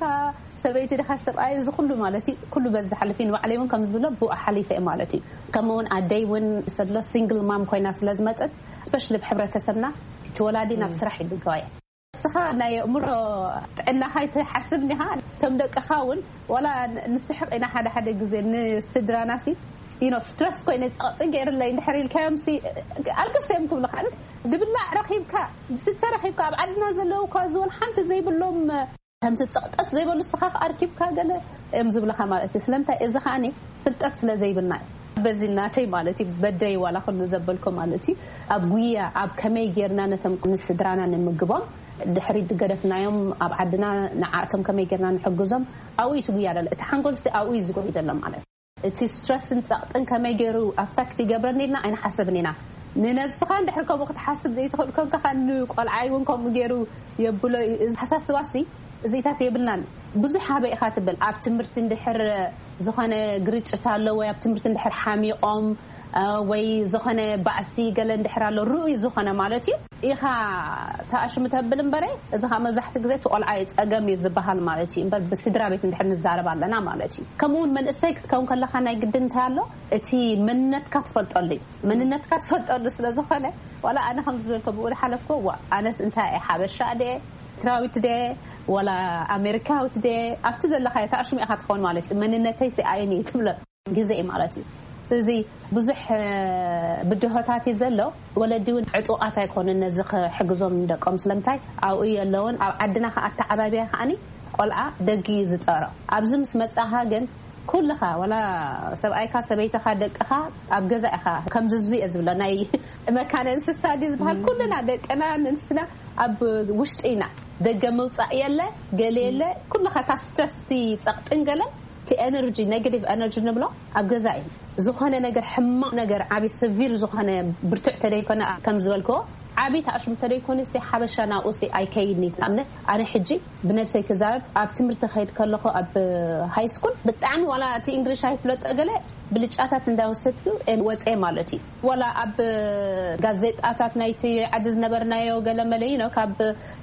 ሰበይቲ ድኻ ሰብኣይ፣ እዚ ኩሉ ማለት እዩ፣ ኩሉ በዚ ዝሓልፍ እዩ። ንባዕለይ እውን ከም ዝብሎ ብኡ ሓሊፈ እየ ማለት እዩ። ከምኡ እውን ኣደይ እውን ሰሎ ሲንግል ማም ኮይና ስለ ዝመጸት ስፔሻሊ ብሕብረተሰብና እቲ ወላዲ ናብ ስራሕ ይድገዋ እየ። ንስኻ ናይ ኣእምሮ ጥዕናኻ ይትሓስብ እንዲኻ፣ እቶም ደቅኻ እውን ዋላ ንስሕቕ ኢና ሓደ ሓደ ግዜ ንስድራናሲ ኢኖ ስትረስ ኮይነ ጸቕጢ ገይርለይ እንድሕር ኢልካዮምሲ ኣልቅስ እዮም ክብሉኻ። ድብላዕ ረኺብካ፣ ዝስተ ረኺብካ፣ ኣብ ዓድና ዘለዉ እኳ ዝወን ሓንቲ ዘይብሎም ከምቲ ጸቕጠት ዘይበሉ ንስኻ ኣርኪብካ ገለ እዮም ዝብልኻ ማለት እዩ። ስለምንታይ? እዚ ከኣኒ ፍልጠት ስለ ዘይብልና እዩ። በዚ ናተይ ማለት እዩ፣ በደይ ዋላ ኩሉ ዘበልኮ ማለት እዩ። ኣብ ጉያ ኣብ ከመይ ጌርና ነቶም ንስድራና ንምግቦም ድሕሪት ዝገደፍናዮም ኣብ ዓድና ንዓእቶም ከመይ ጌርና ንሕግዞም ኣብኡ እዩ እቲ ጉያ ደሎ። እቲ ሓንጎል ሲ ኣብኡ እዩ ዝጎይ ደሎ ማለት እዩ። እቲ ስትረስን ጸቕጥን ከመይ ገይሩ ኣፈክት ይገብረኒ ኢልና ኣይንሓስብን ኢና። ንነብስኻ እንድሕር ከምኡ ክትሓስብ ዘይትኽእል ኮንካ፣ ንቆልዓይ እውን ከምኡ ገይሩ የብሎ እዩ። እዚ ሓሳስባሲ እዚታት የብልናን። ብዙሕ ሃበ ኢኻ ትብል። ኣብ ትምህርቲ እንድሕር ዝኾነ ግርጭት ኣሎ ወይ ኣብ ትምህርቲ እንድሕር ሓሚቖም፣ እ፣ ወይ ዝኾነ ባእሲ ገለ እንድሕር ኣሎ፣ ርኡይ ዝኾነ ማለት እዩ፣ ኢኻ ተኣሽሙ ተብል እምበረ፣ እዚ ኸኣ መብዛሕትኡ ግዜ እቲ ቆልዓ እዩ ጸገም እዩ ዝበሃል ማለት እዩ። እምበር ብስድራ ቤት እንድሕር ንዛረብ ኣለና ማለት እዩ። ከምኡ እውን መንእሰይ ክትከውን ከለኻ ናይ ግድን እንታይ ኣሎ? እቲ መንነትካ ትፈልጠሉ እዩ። መንነትካ ትፈልጠሉ ስለ ዝኾነ፣ ዋላ ኣነ ከም ዝበልኮ ብኡ ዝሓለፍኮ፣ ዋ፣ ኣነስ እንታይ እየ፣ ሓበሻ ድየ፣ ኤርትራዊት ድየ፣ ዋላ ኣሜሪካዊት ድየ፣ ኣብቲ ዘለኻዮ ተኣሽሙ ኢኻ ትኸውን ማለት እዩ። መንነተይ ሲ ኣየን እዩ ትብሎ ግዜ እዩ ማለት እዩ። ስለዚ ብዙሕ፣ እ፣ ብድሆታት እዩ ዘሎ። ወለዲ እውን ዕጡቓት ኣይኮኑን ነዚ ክሕግዞም ንደቆም። ስለምንታይ? ኣብኡ የለውን። ኣብ ዓድና ከኣ ኣተዓባብያ ከኣኒ ቆልዓ ደጊ እዩ ዝጸሮ። ኣብዚ ምስ መጻኻ ግን ኩልኻ፣ ዋላ ሰብኣይካ፣ ሰበይትኻ፣ ደቅኻ ኣብ ገዛ ኢኻ። ከምዚ እዚ እየ ዝብሎ፣ ናይ መካነ እንስሳ ድዩ ዝበሃል? ኩልና ደቅና ንንስና ኣብ ውሽጢ ኢና። ደገ ምውጻእ የለ፣ ገለ የለ። ኩልኻ እታ ስትረስ፣ እቲ ጸቕጥን ገለን፣ እቲ ኤነርጂ፣ ኔጋቲቭ ኤነርጂ ንብሎ ኣብ ገዛ እዩ። ዝኾነ ነገር፣ ሕማቕ ነገር፣ ዓቢ ሰቪር ዝኾነ፣ ብርቱዕ ተደይኮነ፣ ከም ዝበልክዎ፣ ዓቢ ተኣሽሙ ተደይኮነ፣ ሲ ሓበሻ ናብኡ ሲ ኣይከይድን እዩ። ንኣብነት ኣነ ሕጂ ብነብሰይ ክዛረብ፣ ኣብ ትምህርቲ ከይድ ከለኹ ኣብ ሃይ ስኩል ብጣዕሚ ዋላ እቲ እንግሊሽ ኣይፍለጦ ገለ ብልጫታት እንዳወሰድኩ እየ ወፅየ ማለት እዩ። ዋላ ኣብ ጋዜጣታት ናይቲ ዓዲ ዝነበርናዮ ገለ መለ፣ you know፣ ካብ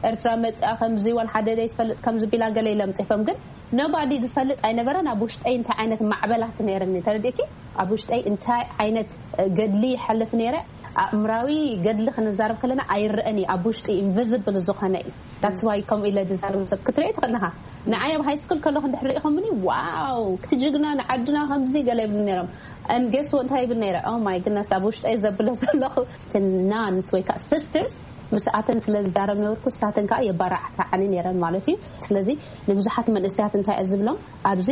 ኤርትራ መፅኣ ከምዚ ዋላ ሓደ ዘይትፈልጥ ከምዚ ቢላ ገለ ኢሎም ፅፎም፣ ግን ኖባዲ ዝፈልጥ ኣይነበረን። ኣብ ውሽጠይ እንታይ ዓይነት ማዕበላት ነይርኒ ተረዲእኪ? ኣብ ውሽጠይ እንታይ ዓይነት ገድሊ ይሓልፍ ነይረ፣ ኣእምራዊ ገድሊ ክንዛረብ ከለና ኣይረአን እዩ፣ ኣብ ውሽጢ ኢንቪዚብል ዝኾነ እዩ። That's why ከምኡ ኢለ ዝዛረብ ሰብ ክትርኢ ትኽእል ኢኻ። ንዓይ ኣብ ሃይ ስኩል ከለኹ እንድሕር ርኢኹምኒ፣ ዋው፣ እቲ ጅግና ንዓድና ከምዚ ገለ ይብሉ ነይሮም። And guess what እንታይ ይብል ነይረ? Oh my goodness፣ ኣብ ውሽጠይ ዘብሎ ዘለኹ፣ እቲ ናንስ ወይ ከዓ ሲስተርስ ምስኣተን ስለ ዝዛረብ ነበርኩ፣ ንሳተን ከዓ የባራዕታዓኒ ነይረን ማለት እዩ። ስለዚ ንብዙሓት መንእሰያት እንታይ እየ ዝብሎም፣ ኣብዚ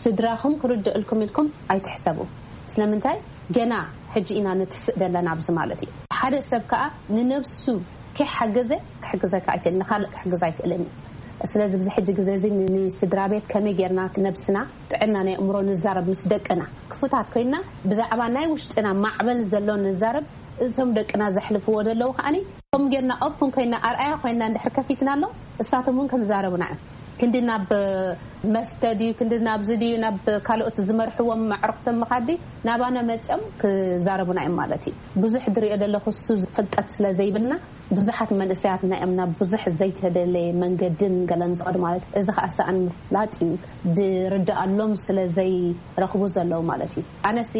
ስድራኹም ክርድእልኩም ኢልኩም ኣይትሕሰቡ። ስለምንታይ? ገና ሕጂ ኢና ንትስእ ዘለና ኣብዚ ማለት እዩ። ሓደ ሰብ ከዓ ንነብሱ ከይሓገዘ ክሕግዘካ ኣይክእል፣ ንኻልእ ክሕግዝ ኣይክእልን እዩ። ስለዚ ኣብዚ ሕጂ ግዜ እዚ ን-፣ ንስድራ ቤት ከመይ ጌርና እቲ ነብስና፣ ጥዕና ናይ ኣእምሮ ንዛረብ ምስ ደቅና። ክፉታት ኮይና ብዛዕባ ናይ ውሽጥና ማዕበል ዘሎ ንዛረብ፣ እቶም ደቅና ዘሕልፍዎ ዘለዉ ከኣኒ ከምኡ ጌርና ኦፕን ኮይና ኣርኣያ ኮይና እንድሕር ከፊትናሎም፣ እሳቶም እውን ከምዛረቡና እዮም። ክንዲ ናብ መስተ ድዩ፣ ክንዲ ናብዚ ድዩ፣ ናብ ካልኦት ዝመርሕዎም ኣዕሩኽቶም ምኻድ ድዩ፣ ናባና መፅኦም ክዛረቡና እዮም ማለት እዩ። ብዙሕ ዝሪኦ ዘለኹ እሱ ፍልጠት ስለ ዘይብልና ብዙሓት መንእሰያትና እዮም ናብ ብዙሕ ዘይተደለየ መንገድን ገለን ዝኸዱ ማለት እዩ። እዚ ከዓ ሰኣን ምፍላጥ እዩ፣ ዝርድኣሎም ስለ ዘይረኽቡ ዘለዉ ማለት እዩ። ኣነሲ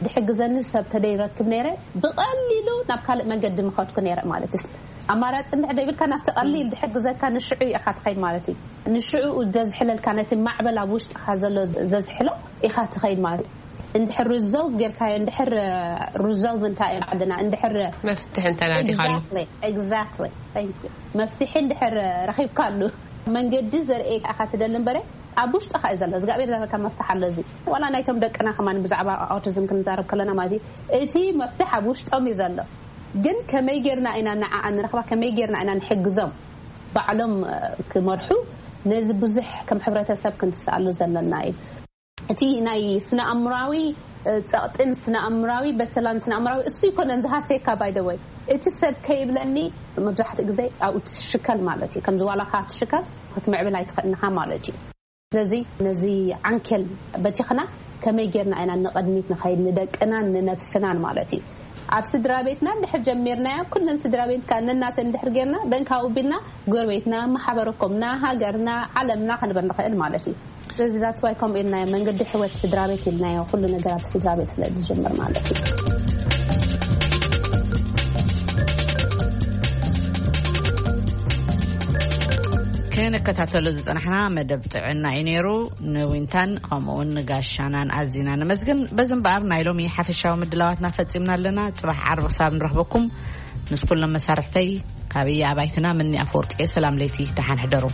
ድሕግዘኒ ሰብ ተደይረክብ ነይረ፣ ብቐሊሉ ናብ ካልእ መንገዲ ምኸድኩ ነይረ ማለት እዩ። ኣማራፂ እንድሕር ደይብልካ ናብቲ ቀሊል ድሕግዘካ ንሽዑ ኢኻ ትኸይድ ማለት እዩ። ንሽዑ ዘዝሕለልካ ነቲ ማዕበል ኣብ ውሽጥኻ ዘሎ ዘዝሕሎ ኢኻ ትኸይድ ማለት እዩ። እንድሕር ሪዞልቭ ጌርካዮ፣ እንድሕር ሪዞልቭ እንታይ እዩ ዓድና፣ እንድሕር መፍትሒ እንተናዲኻሉ። Exactly, exactly. Thank you. መፍትሒ እንድሕር ረኺብካሉ መንገዲ ዘርእየካ ኢኻ ትደሊ እምበረ ኣብ ውሽጥኻ እዩ ዘሎ። እግዚኣብሔር ዘረካ መፍትሒ ኣሎ። እዚ ዋላ ናይቶም ደቅና ከማን ብዛዕባ ኣውቲዝም ክንዛረብ ከለና ማለት እዩ፣ እቲ መፍትሒ ኣብ ውሽጦም እዩ ዘሎ። ግን ከመይ ጌርና ኢና ንዓኣ ንረኽባ፣ ከመይ ጌርና ኢና ንሕግዞም ባዕሎም፣ እ፣ ክመርሑ፣ ነዚ ብዙሕ ከም ሕብረተሰብ ክንትስኣሉ ዘለና እዩ። እቲ ናይ ስነ ኣእምራዊ፣ እ፣ ጸቕጥን ስነ ኣእምራዊ በሰላን ስነ ኣእምራዊ እሱ ይኮነን ዝሃሰየካ። By the way፣ እቲ ሰብ ከይብለኒ መብዛሕትኡ ግዜ ኣብኡ ትሽከል ማለት እዩ። ከምዚ ዋላካ ትሽከል ክትምዕብል ኣይትኽእልንኻ ማለት እዩ። ስለዚ ነዚ ዓንኬል በቲኽና ከመይ ጌርና ኢና ንቐድሚት ንኸይድ ንደቅናን ንነብስናን ማለት እዩ። ኣብ ስድራ ቤትና እንድሕር ጀሚርናዮ፣ ኩለን ስድራ ቤትካ ነናተን እንድሕር ጌርና፣ ደንካ ውቢልና ጎረቤትና፣ ማሕበረኮምና፣ ሃገርና፣ ዓለምና ክንበር ንኽእል ማለት እዩ። ስለዚ that's why ከምኡ ኢልናዮ፣ መንገዲ ሕይወት ስድራ ቤት ኢልናዮ። ኩሉ ነገር ኣብ ስድራ ቤት ስለ ዝጅምር ማለት እዩ። ንከታተሎ ዝጸናሕና መደብ ጥዕና እዩ ነይሩ። ንዊንታን ከምኡ እውን ንጋሻናን ኣዚና ነመስግን። በዚ እምበኣር ናይ ሎሚ ሓፈሻዊ ምድላዋትና ፈጺምና ኣለና። ጽባሕ ዓርቢ ክሳብ ንረኽበኩም፣ ምስ ኩሎም መሳርሕተይ ካብ እያ ኣባይትና ምኒ ኣፈወርቂ፣ ሰላም ለይቲ፣ ደሓን ሕደሩ።